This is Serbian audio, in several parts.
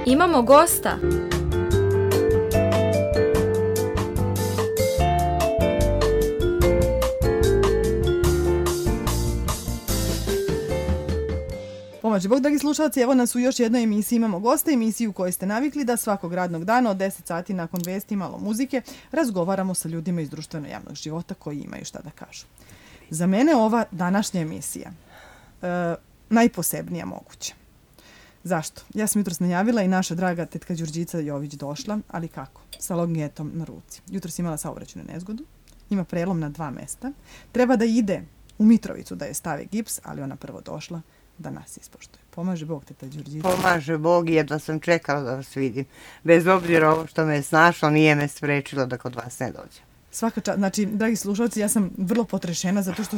Imamo gosta. Pomaže Bog, dragi slušalci, evo nas u još jednoj emisiji Imamo gosta, emisiju u kojoj ste navikli da svakog radnog dana od 10 sati nakon vesti malo muzike razgovaramo sa ljudima iz društveno-javnog života koji imaju šta da kažu. Za mene ova današnja emisija najposebnija moguća. Zašto? Ja sam jutros najavila i naša draga tetka Đurđica Jović došla, ali kako? Sa longetom na ruci. Jutros imala saobraćajnu nezgodu, ima prelom na 2 mesta, treba da ide u Mitrovicu da je stave gips, ali ona prvo došla da nas ispoštuje. Pomaže Bog, teta Đurđica. Pomaže Bog, jedva sam čekala da vas vidim. Bez obzira ovo što me je snašlo, nije me sprečilo da kod vas ne dođem. Svaka čast. Znači, dragi slušalci, ja sam vrlo potrešena zato što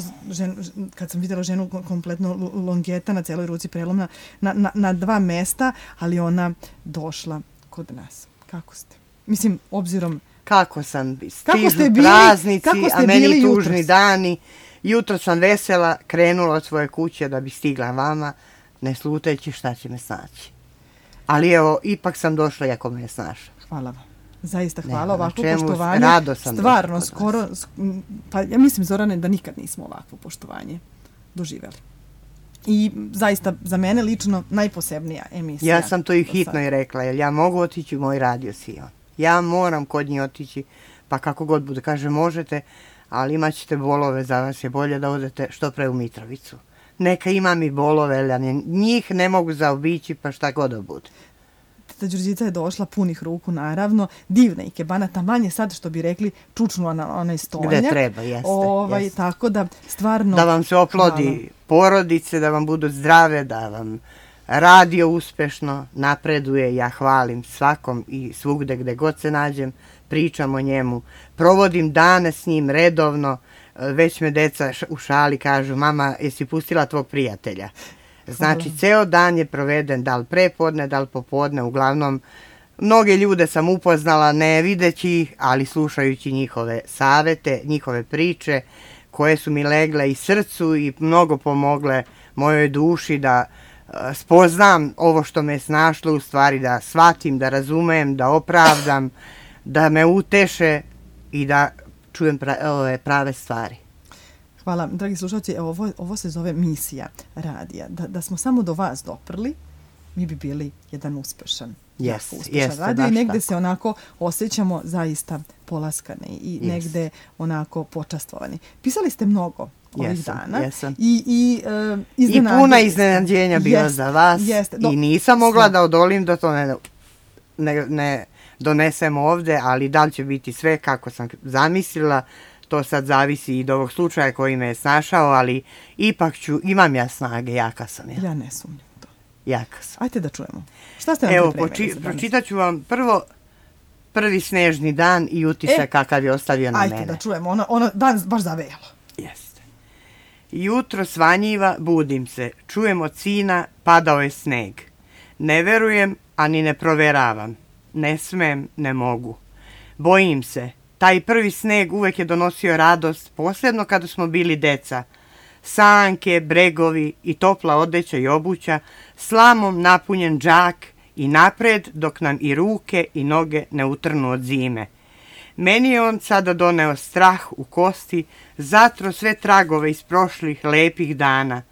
kad sam vidjela ženu kompletno longeta na celoj ruci prelomna na 2 mesta, ali ona došla kod nas. Kako ste? Mislim, obzirom... Kako sam? Stižu praznici, a meni tužni dani. Jutro sam vesela, krenula od svoje kuće da bi stigla vama, ne sluteći šta će me snaći. Ali evo, ipak sam došla iako me je snašla. Hvala vam. Zaista hvala, ovako poštovanje. Rado sam stvarno, skoro, pa ja mislim, Zorane, da nikad nismo ovakvo poštovanje doživjeli. I zaista, za mene lično, najposebnija emisija. Ja sam to i hitno i rekla, jer ja mogu otići u moj radio Sion. Ja moram kod njih otići, pa kako god bude, kaže, možete, ali imat ćete bolove, za vas je bolje da odete što pre u Mitrovicu. Neka imam i bolove, ali njih ne mogu zaobići, pa šta god da bude. Teta Đurđica je došla punih ruku, naravno, divna ikebana, taman je sad, što bi rekli, čučnula na onaj stonjak. Gde treba, jeste. Tako da, stvarno... Da vam se oplodi porodice, da vam budu zdrave, da vam radio uspešno napreduje. Ja hvalim svakom i svugde gde god se nađem, pričam o njemu, provodim dane s njim redovno, već me deca u šali kažu, mama, jesi pustila tvog prijatelja? Znači, ceo dan je proveden, da li prepodne, da li popodne, uglavnom, mnoge ljude sam upoznala, ne videći ih, ali slušajući njihove savete, njihove priče, koje su mi legle i srcu i mnogo pomogle mojoj duši da spoznam ovo što me je snašlo, u stvari da shvatim, da razumem, da opravdam, da me uteše i da čujem prave stvari. Hvala, dragi slušalci, ovo se zove misija radija. Da smo samo do vas doprli, mi bi bili jedan uspešan radio i negde se onako osjećamo zaista polaskane i negde onako počastvovani. Pisali ste mnogo ovih dana. I puna iznenađenja bila za vas i nisam mogla da odolim da to ne donesem ovde, ali da li će biti sve kako sam zamislila, to sad zavisi i od ovog slučaja koji me je snašao, ali ipak imam ja snage, jaka sam ja. Ja ne sumnjam to. Jaka sam. Ajde da čujemo. Šta ste nam pripremili za danas? Pročitat ću vam prvi snežni dan i utisak kakav je ostavio na mene. Ajde da čujemo, ono dan baš zavejalo. Jeste. Jutro svanjiva, budim se, čujem od sina, padao je sneg. Ne verujem, ani ne proveravam. Ne smem, ne mogu. Bojim se. Taj prvi sneg uvek je donosio radost, posebno kada smo bili deca. Sanke, bregovi i topla odeća i obuća, slamom napunjen džak i napred dok nam i ruke i noge ne utrnu od zime. Meni je on sada doneo strah u kosti, zatro sve tragove iz prošlih lepih dana.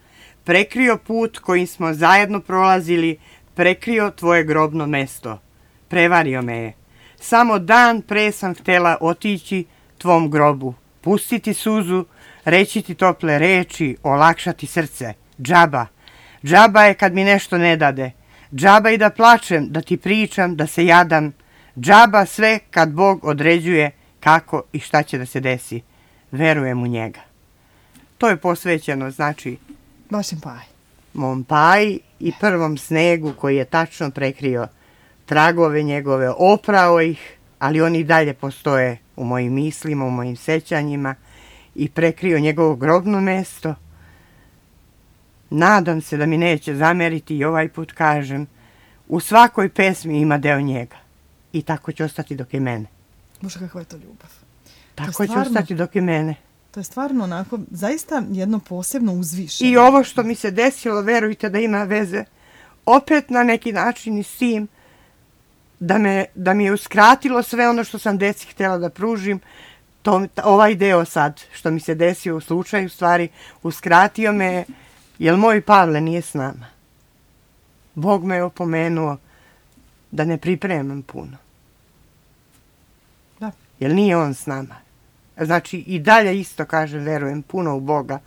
Prekrio put kojim smo zajedno prolazili, prekrio tvoje grobno mesto. Prevario me je. Samo dan pre sam htjela otići tvom grobu, pustiti suzu, reći ti tople reči, olakšati srce. Džaba. Džaba je kad mi nešto ne dade. Džaba i da plačem, da ti pričam, da se jadam. Džaba sve kad Bog određuje kako i šta će da se desi. Verujem u njega. To je posvećeno, znači, vašem paji. Mom paji i prvom snegu koji je tačno prekrio tragove njegove, oprao ih, ali oni i dalje postoje u mojim mislima, u mojim sećanjima i prekrio njegovo grobno mesto. Nadam se da mi neće zameriti i ovaj put kažem, u svakoj pesmi ima deo njega i tako će ostati dok je mene. Bože, kakva je to ljubav. Tako će ostati dok je mene. To je stvarno onako, zaista jedno posebno uzvišeno. I ovo što mi se desilo, verujte da ima veze opet na neki način i s tim, da mi je uskratilo sve ono što sam deci htjela da pružim. Ovaj deo sad, što mi se desio u slučaju, stvari, uskratio me, jer moj Pavle nije s nama. Bog me je opomenuo da ne pripremam puno. Da. Jer nije on s nama. Znači, i dalje isto kažem, verujem puno u Boga.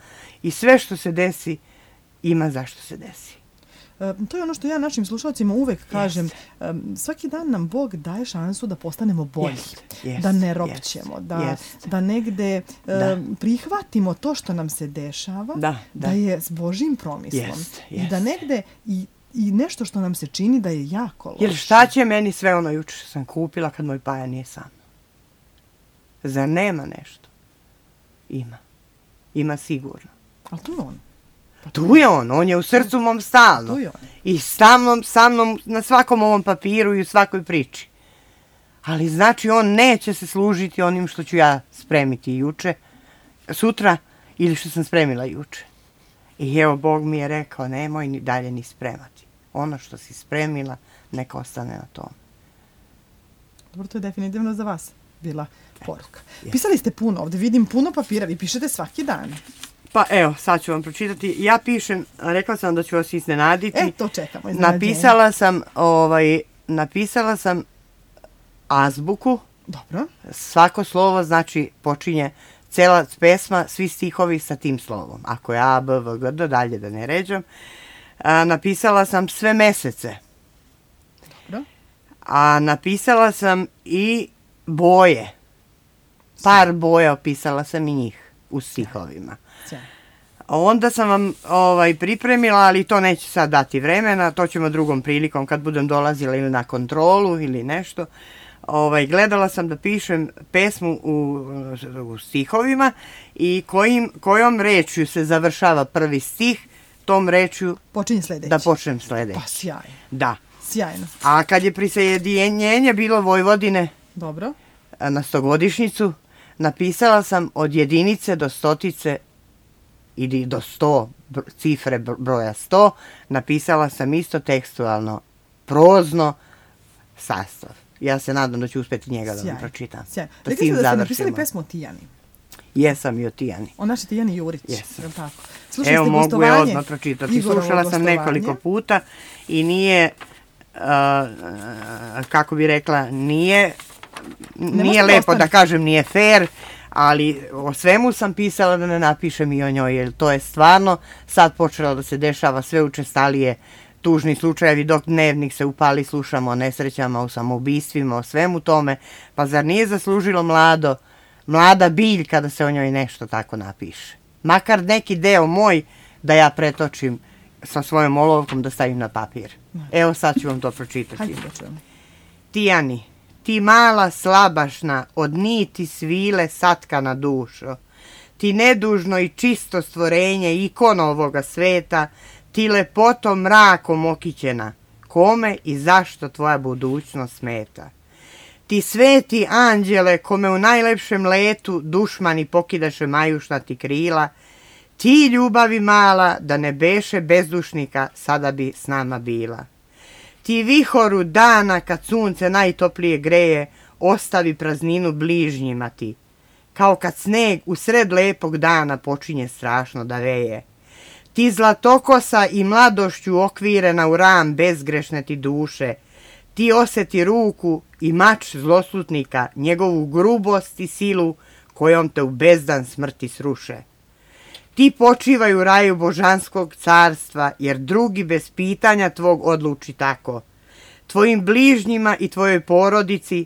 I sve što se desi, ima zašto se desi. To je ono što ja našim slušalcima uvek kažem. Svaki dan nam Bog daje šansu da postanemo bolji. Da ne ropćemo. Da negde prihvatimo to što nam se dešava. Da je s Božjim promislom. I da negde i nešto što nam se čini da je jako loše. Jer šta će meni sve ono juče što sam kupila kad moj Paja nije sam? Zar nema nešto? Ima. Ima sigurno. Ali tu je on. Tu je on je u srcu mom stalno. I sa mnom na svakom ovom papiru i u svakoj priči. Ali znači on neće se služiti onim što ću ja spremiti juče, sutra ili što sam spremila juče. I evo Bog mi je rekao nemoj ni dalje ni spremati. Ono što si spremila neka ostane na tom. Dobro, to je definitivno za vas bila poruka. Pisali ste puno ovdje, vidim puno papira, vi pišete svaki dan. Pa evo, sad ću vam pročitati. Ja pišem, rekla sam da ću vas iznenaditi. To čekamo, iznenađenje. Napisala sam azbuku. Dobro. Svako slovo znači počinje cela pesma, svi stihovi sa tim slovom. Ako je A, B, V, G, D, dalje da ne ređam. Napisala sam sve mesece. Dobro. A napisala sam i boje. Par boja opisala sam i njih u stihovima. Onda sam vam pripremila, ali to neće sad dati vremena, to ćemo drugom prilikom kad budem dolazila ili na kontrolu ili nešto. Gledala sam da pišem pesmu u stihovima i kojom rečju se završava prvi stih, tom rečju da počnem sljedeći. Pa sjajno. Da. Sjajno. A kad je prisjedinjenje bilo Vojvodine Dobro. Na 100-godišnjicu, napisala sam od jedinice do stotice ili do 100, cifre broja 100, napisala sam isto tekstualno, prozno, sastav. Ja se nadam da ću uspjeti njega da vam pročitam. Sjajno. Rekli ste da ste napisali pesmu o Tijani. Jesam i o Tijani. O našoj Tijani Jurić. Jesam. Evo mogu je odmah pročitati. Slušala sam nekoliko puta i nije, kako bi rekla, nije lepo da kažem, nije fair, ali o svemu sam pisala da ne napišem i o njoj, jer to je stvarno sad počelo da se dešava sve učestalije tužni slučajevi, dok dnevnik se upali, slušamo o nesrećama, o samoubistvima, o svemu tome, pa zar nije zaslužilo mlada biljka da se o njoj nešto tako napiše? Makar neki deo moj da ja pretočim sa svojom olovkom da stavim na papir. Evo sad ću vam to pročitati. Hajde da čujem. Tijani, ti mala slabašna, od niti svile satkana dušo, ti nedužno i čisto stvorenje ikona ovoga sveta, ti lepotom mrakom okićena, kome i zašto tvoja budućnost smeta. Ti sveti anđele, kome u najlepšem letu dušmani pokidaše majušnati krila, ti ljubavi mala, da ne beše bezdušnika, sada bi s nama bila. Ti vihoru dana, kad sunce najtoplije greje, ostavi prazninu bližnjima ti, kao kad sneg u sred lepog dana počinje strašno da veje. Ti zlatokosa i mladošću okvirena u ram bezgrešne ti duše, ti osjeti ruku i mač zloslutnika, njegovu grubost i silu kojom te u bezdan smrti sruše. Ti počivaj u raju božanskog carstva, jer drugi bez pitanja tvog odluči tako. Tvojim bližnjima i tvojoj porodici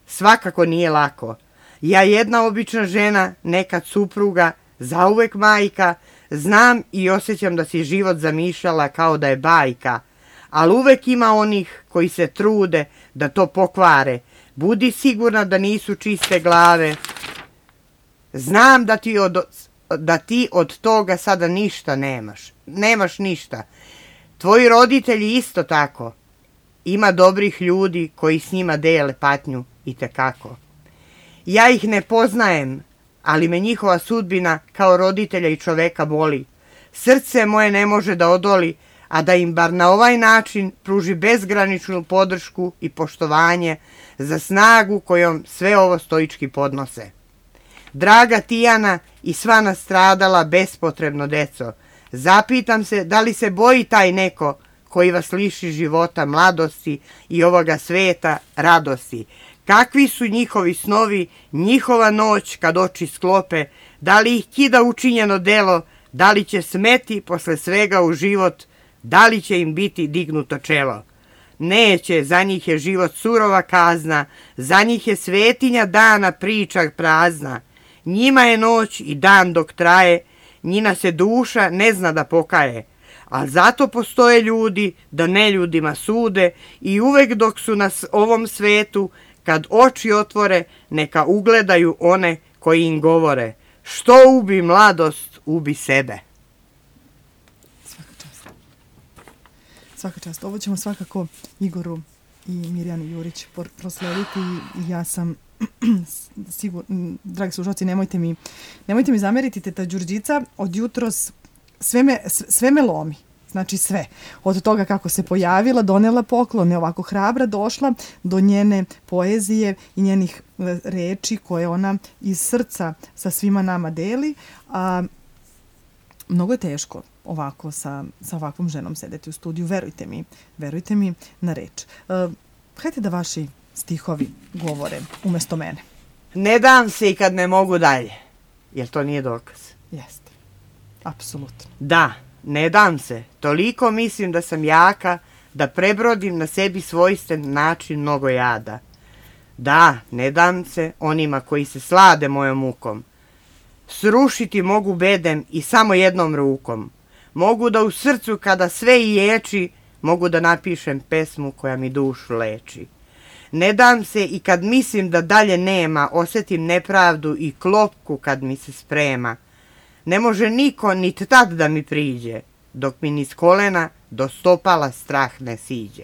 svakako nije lako. Ja jedna obična žena, nekad supruga, zauvek majka, znam i osjećam da si život zamišljala kao da je bajka, ali uvek ima onih koji se trude da to pokvare. Budi sigurna da nisu čiste glave. Znam da ti od toga sada ništa nemaš. Nemaš ništa. Tvoji roditelji isto tako. Ima dobrih ljudi koji s njima dele patnju itekako. Ja ih ne poznajem, ali me njihova sudbina kao roditelja i čoveka boli. Srce moje ne može da odoli, a da im bar na ovaj način pruži bezgraničnu podršku i poštovanje za snagu kojom sve ovo stoički podnose. Draga Tijana i sva nastradala bespotrebno deco, zapitam se da li se boji taj neko koji vas liši života, mladosti i ovoga sveta, radosti. Kakvi su njihovi snovi, njihova noć kad oči sklope, da li ih kida učinjeno delo, da li će smeti posle svega u život, da li će im biti dignuto čelo. Neće, za njih je život surova kazna, za njih je svetinja dana priča prazna. Njima je noć i dan dok traje, njina se duša ne zna da pokaje. Ali zato postoje ljudi da neljudima sude i uvek dok su na ovom svetu, kad oči otvore, neka ugledaju one koji im govore. Što ubi mladost, ubi sebe. Svaka čast. Svaka čast. Ovo ćemo svakako Igoru i Mirjani Jurić proslediti i ja sam sigurno, dragi slušalci, nemojte mi zameriti, teta Đurđica od jutros sve me lomi. Znači sve. Od toga kako se pojavila, donela poklone, ovako hrabra došla do njene poezije i njenih reči koje ona iz srca sa svima nama deli. A mnogo je teško ovako sa ovakvom ženom sedeti u studiju. Verujte mi na reč. Hajde da vaši stihovi govore umjesto mene. Ne dam se i kad ne mogu dalje. Jer to nije dokaz? Jeste. Apsolutno. Da. Ne dam se, toliko mislim da sam jaka, da prebrodim na sebi svojstven način mnogo jada. Da, ne dam se onima koji se slade mojom mukom. Srušiti mogu bedem i samo jednom rukom. Mogu da u srcu kada sve ječi, mogu da napišem pesmu koja mi dušu leči. Ne dam se i kad mislim da dalje nema, osjetim nepravdu i klopku kad mi se sprema. Ne može niko nit tad da mi priđe, dok mi niz kolena do stopala strah ne siđe.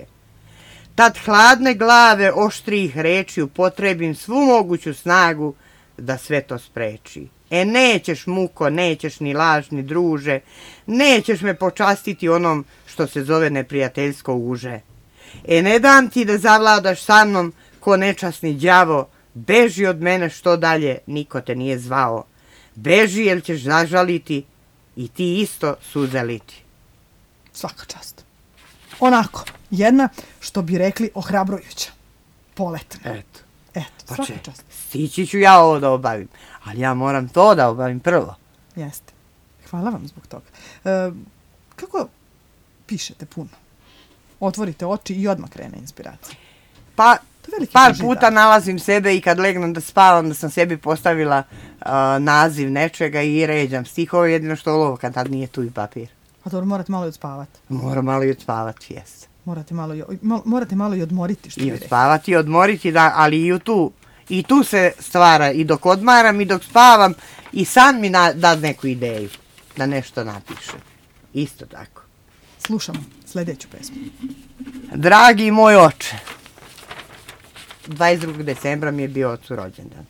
Tad hladne glave oštrih reči upotrebim svu moguću snagu da sve to spreči. Nećeš muko, nećeš ni lažni druže, nećeš me počastiti onom što se zove neprijateljsko uže. Ne dam ti da zavladaš sa mnom ko nečasni đavo, beži od mene što dalje, niko te nije zvao. Beži jer ćeš zažaliti i ti isto suze liti. Svaka čast. Onako, jedna, što bi rekli, ohrabrujuća. Poletna. Eto, svaka čast. Stići ću ja ovo da obavim, ali ja moram to da obavim prvo. Jeste. Hvala vam zbog toga. Kako pišete puno? Otvorite oči i odmah krene inspiracija. Pa, par puta nalazim sebe i kad legnem da spavam da sam sebi postavila naziv nečega i ređam stihove, jedino što ovo kad tad nije tu i papir. A dobro, morate malo i odspavati. Moram malo i odspavati, jes. Morate malo i odmoriti, što i odspavati i odmoriti, da, ali i tu se stvara i dok odmaram i dok spavam i sam mi da neku ideju da nešto napišem. Isto tako. Slušamo sljedeću pesmu. Dragi moj oče, 22. decembra mi je bio ocu rođendan.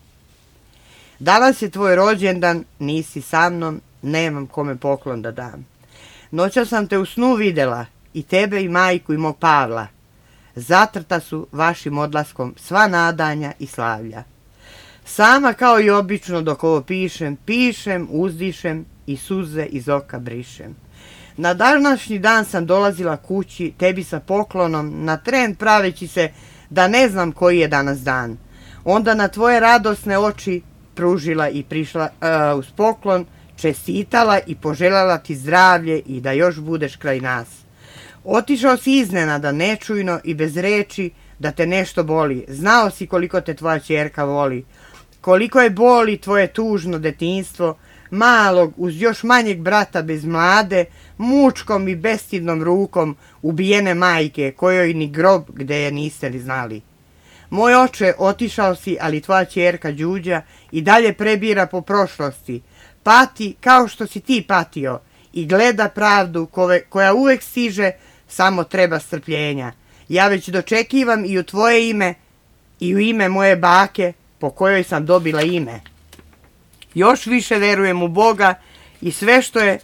Danas je tvoj rođendan, nisi sa mnom, nemam kome poklon da dam. Noćas sam te u snu videla, i tebe i majku i mog Pavla. Zatrta su vašim odlaskom sva nadanja i slavlja. Sama kao i obično dok ovo pišem, uzdišem i suze iz oka brišem. Na današnji dan sam dolazila kući, tebi sa poklonom, na tren praveći se da ne znam koji je danas dan. Onda na tvoje radosne oči pružila i prišla uz poklon, čestitala i poželjala ti zdravlje i da još budeš kraj nas. Otišao si iznenada, nečujno i bez reči, da te nešto boli. Znao si koliko te tvoja ćerka voli. Koliko je boli tvoje tužno detinjstvo, malog uz još manjeg brata bez mlade, mučkom i bestidnom rukom ubijene majke, kojoj ni grob gde je niste li znali. Moj oče, otišao si, ali tvoja ćerka Đuđa i dalje prebira po prošlosti. Pati kao što si ti patio i gleda pravdu koja uvek stiže, samo treba strpljenja. Ja već dočekivam i u tvoje ime i u ime moje bake po kojoj sam dobila ime. Još više verujem u Boga i sve što je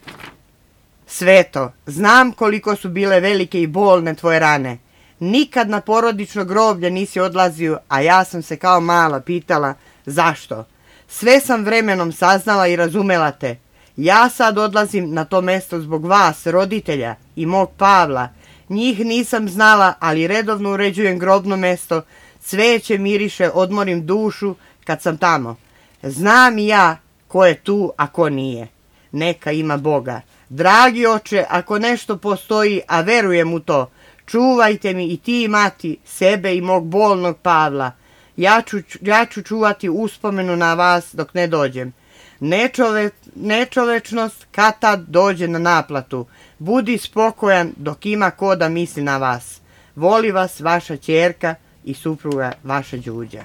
Sveto, znam koliko su bile velike i bolne tvoje rane. Nikad na porodično groblje nisi odlazio, a ja sam se kao mala pitala zašto. Sve sam vremenom saznala i razumela te. Ja sad odlazim na to mesto zbog vas, roditelja i mog Pavla. Njih nisam znala, ali redovno uređujem grobno mesto, cveće miriše, odmorim dušu kad sam tamo. Znam i ja ko je tu, a ko nije. Neka ima Boga. Dragi oče, ako nešto postoji, a verujem u to, čuvajte mi i ti i mati, sebe i mog bolnog Pavla. Ja ću čuvati uspomenu na vas dok ne dođem. Nečovečnost kad tad dođe na naplatu. Budi spokojan dok ima ko da misli na vas. Voli vas vaša ćerka i supruga vaša Đuđa.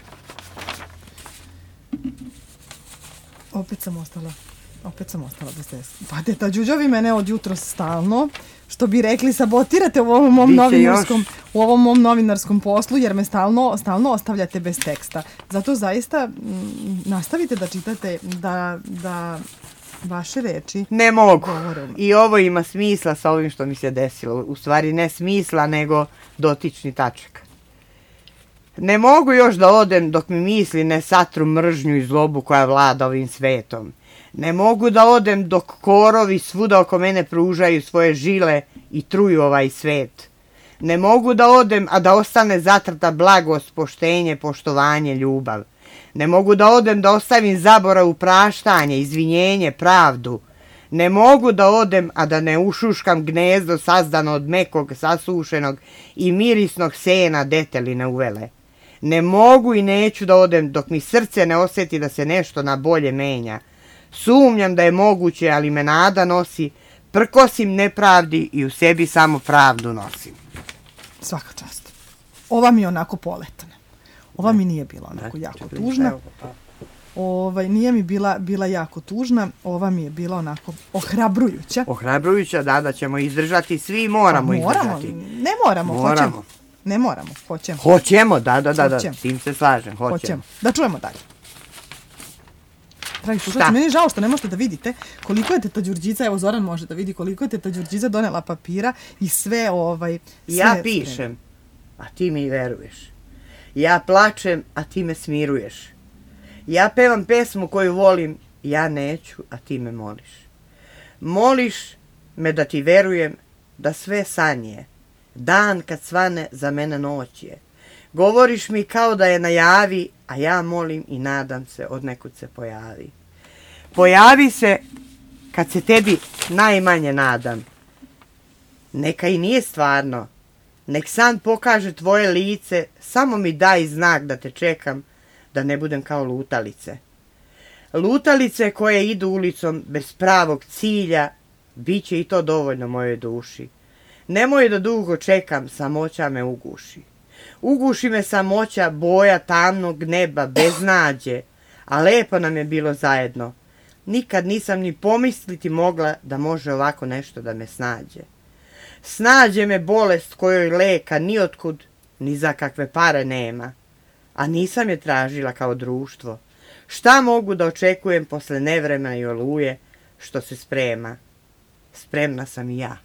Opet sam ostala bez te. Pa teta Đuđa, vi mene od jutros stalno, što bi rekli, sabotirate u ovom mom novinarskom poslu, jer me stalno ostavljate bez teksta. Zato zaista nastavite da čitate, da vaše reči ne mogu. I ovo ima smisla sa ovim što mi se desilo. U stvari ne smisla, nego dotični tačak. Ne mogu još da odem dok mi misli ne satru mržnju i zlobu koja vlada ovim svetom. Ne mogu da odem dok korovi svuda oko mene pružaju svoje žile i truju ovaj svet. Ne mogu da odem, a da ostane zatrta blagost, poštenje, poštovanje, ljubav. Ne mogu da odem, da ostavim zaborav, praštanje, izvinjenje, pravdu. Ne mogu da odem, a da ne ušuškam gnezdo sazdano od mekog, sasušenog i mirisnog sena deteline uvele. Ne mogu i neću da odem dok mi srce ne osjeti da se nešto na bolje menja. Sumnjam da je moguće, ali me nada nosi, prkosim nepravdi i u sebi samo pravdu nosim. Svaka čast. Ova mi je onako poletana. Ova mi nije bila onako jako tužna. Nije mi bila jako tužna. Ova mi je bila onako ohrabrujuća. Ohrabrujuća, da ćemo izdržati. Svi moramo izdržati. Ne moramo, hoćemo. Ne moramo, hoćemo. Hoćemo, da, s tim se slažem, hoćemo. Da čujemo dalje. Dragi slušalci, meni je žao što ne možete da vidite koliko je teta Đurđica, evo Zoran može da vidi koliko je teta Đurđica donela papira i sve Ja pišem, a ti mi veruješ. Ja plačem, a ti me smiruješ. Ja pevam pesmu koju volim, ja neću, a ti me moliš. Moliš me da ti verujem da sve sanje. Dan kad svane za mene noć je. Govoriš mi kao da je najavi, a ja molim i nadam se od nekud se pojavi. Pojavi se kad se tebi najmanje nadam. Neka i nije stvarno. Nek san pokaže tvoje lice, samo mi daj znak da te čekam, da ne budem kao lutalice. Lutalice koje idu ulicom bez pravog cilja, bit će i to dovoljno mojoj duši. Nemoj da dugo čekam, samoća me uguši. Uguši me samoća, boja tamnog neba, bez nađe, a lepo nam je bilo zajedno. Nikad nisam ni pomisliti mogla da može ovako nešto da me snađe. Snađe me bolest kojoj leka ni otkud, ni za kakve pare nema. A nisam je tražila kao društvo. Šta mogu da očekujem posle nevremena i oluje što se sprema? Spremna sam i ja.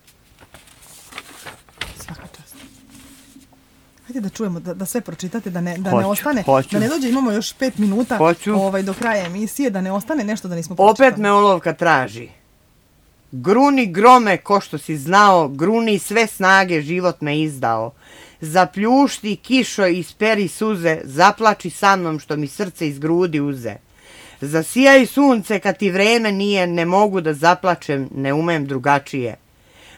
Svaka čast. Hajde da čujemo, da sve pročitate, da ne ostane, da ne dođe, imamo još 5 minuta do kraja emisije, da ne ostane nešto da nismo pročitali. Opet me olovka traži. Gruni grome ko što si znao, gruni sve snage život me izdao. Zapljušti kišo i isperi suze, zaplači sa mnom što mi srce iz grudi uze. Zasijaj sunce kad ti vreme nije, ne mogu da zaplačem, ne umem drugačije.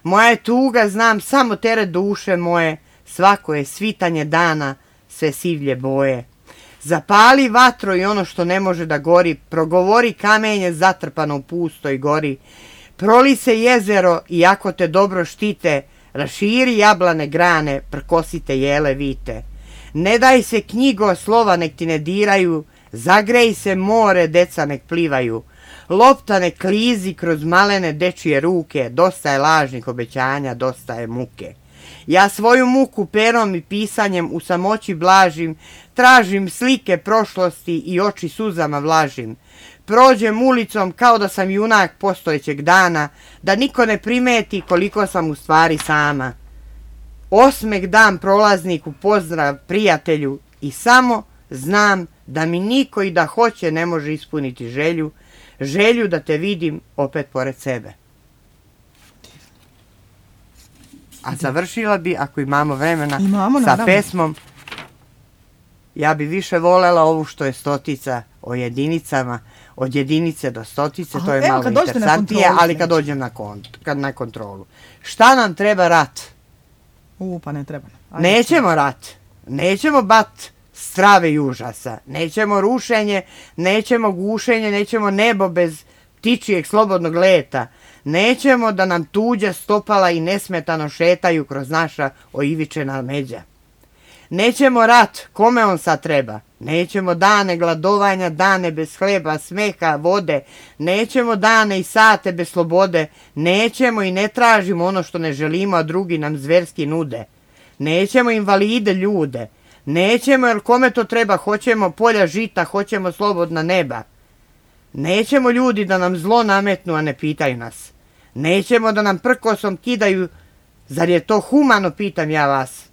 Moja je tuga, znam samo teret duše moje, svako je svitanje dana, sve sivlje boje. Zapali vatro i ono što ne može da gori, progovori kamenje zatrpano u pustoj gori. Proli se jezero i ako te dobro štite, raširi jablane grane, prkosite jele vite. Ne daj se knjigo, slova nek ti ne diraju, zagrej se more, deca nek plivaju. Lopta nek klizi kroz malene dečije ruke, dosta je lažnih obećanja, dosta je muke. Ja svoju muku perom i pisanjem u samoći blažim, tražim slike prošlosti i oči suzama vlažim. prođem ulicom kao da sam junak postojećeg dana, da niko ne primeti koliko sam u stvari sama. Osmeh dam prolazniku, pozdrav prijatelju i samo znam da mi niko i da hoće ne može ispuniti želju da te vidim opet pored sebe. A završila bi, ako imamo vremena, sa pesmom. Ja bi više volela ovu što je stotica o jedinicama, od jedinice do stotice, to je malo interesantnije, ali kad dođem na kontrolu. Šta nam treba rat? Pa ne treba. Nećemo rat, nećemo bat strave i užasa, nećemo rušenje, nećemo gušenje, nećemo nebo bez ptičijeg slobodnog leta, nećemo da nam tuđa stopala i nesmetano šetaju kroz naša oivičena međa. Nećemo rat, kome on sad treba, nećemo dane gladovanja, dane bez hleba, smeha, vode, nećemo dane i sate bez slobode, nećemo i ne tražimo ono što ne želimo, a drugi nam zverski nude. Nećemo invalide ljude, nećemo jer kome to treba, hoćemo polja žita, hoćemo slobodna neba. Nećemo ljudi da nam zlo nametnu, a ne pitaju nas. Nećemo da nam prkosom kidaju, zar je to humano, pitam ja vas.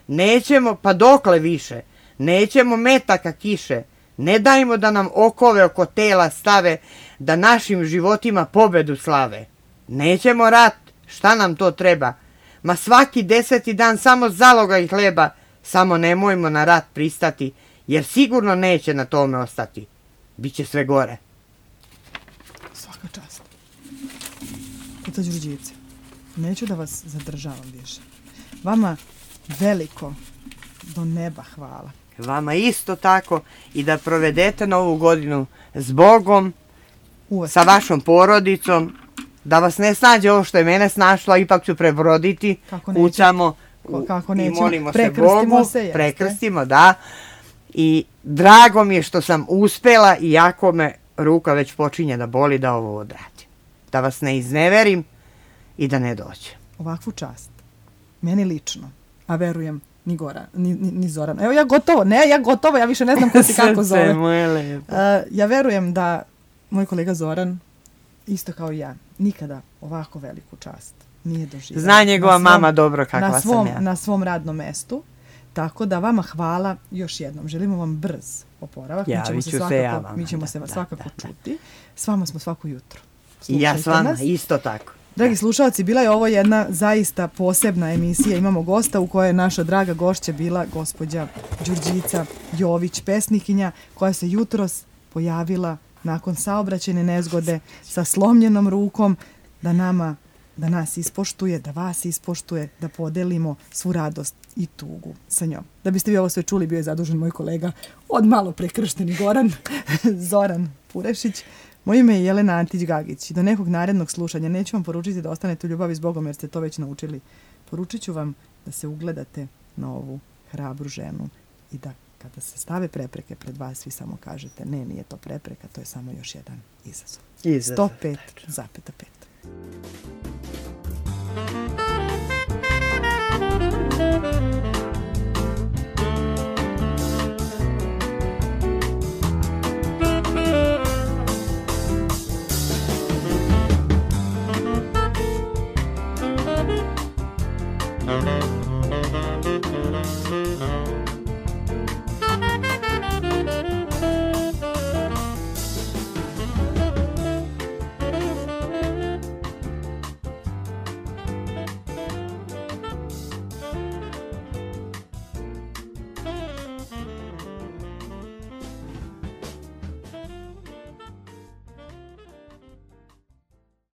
Nećemo, pa dokle više, nećemo metaka kiše, ne dajmo da nam okove oko tela stave, da našim životima pobedu slave. Nećemo rat, šta nam to treba, ma svaki 10. dan samo zalogaj hleba, samo nemojmo na rat pristati, jer sigurno neće na tome ostati. Biće sve gore. Svaka čast. Teta Đurđice, neću da vas zadržavam više. Vama veliko do neba hvala. Vama isto tako i da provedete novu godinu s Bogom, sa vašom porodicom, da vas ne snađe ovo što je mene snašlo, a ipak ću prebroditi, kucamo i molimo se Bogu, prekrstimo, da. I drago mi je što sam uspela, iako me ruka već počinje da boli, da ovo odradim. Da vas ne izneverim i da ne dođe. Ovakvu čast, meni lično, a verujem ni Zoran. Evo ja gotovo, ja više ne znam ko si kako zove. Srce moje lepo. Ja verujem da moj kolega Zoran, isto kao i ja, nikada ovako veliku čast nije doživio. Zna njegova mama dobro kakva sam ja. Na svom radnom mestu. Tako da vama hvala još jednom. Želimo vam brz oporavak. Mi ćemo se svakako čuti. S vama smo svako jutro. I ja s vama, isto tako. Dragi slušalci, bila je ovo jedna zaista posebna emisija. Imamo gosta u kojoj je naša draga gošća bila gospođa Đurđica Jović, pesnikinja, koja se jutros pojavila nakon saobraćajne nezgode sa slomljenom rukom da nas ispoštuje, da vas ispoštuje, da podelimo svu radost i tugu sa njom. Da biste vi ovo sve čuli, bio je zadužen moj kolega od malo prekršteni Zoran Purešić. Moje ime je Jelena Antić-Gagić i do nekog narednog slušanja neću vam poručiti da ostanete u ljubavi s Bogom jer ste to već naučili. Poručit ću vam da se ugledate na ovu hrabru ženu i da kada se stave prepreke pred vas, vi samo kažete ne, nije to prepreka, to je samo još jedan izazov. 105,5.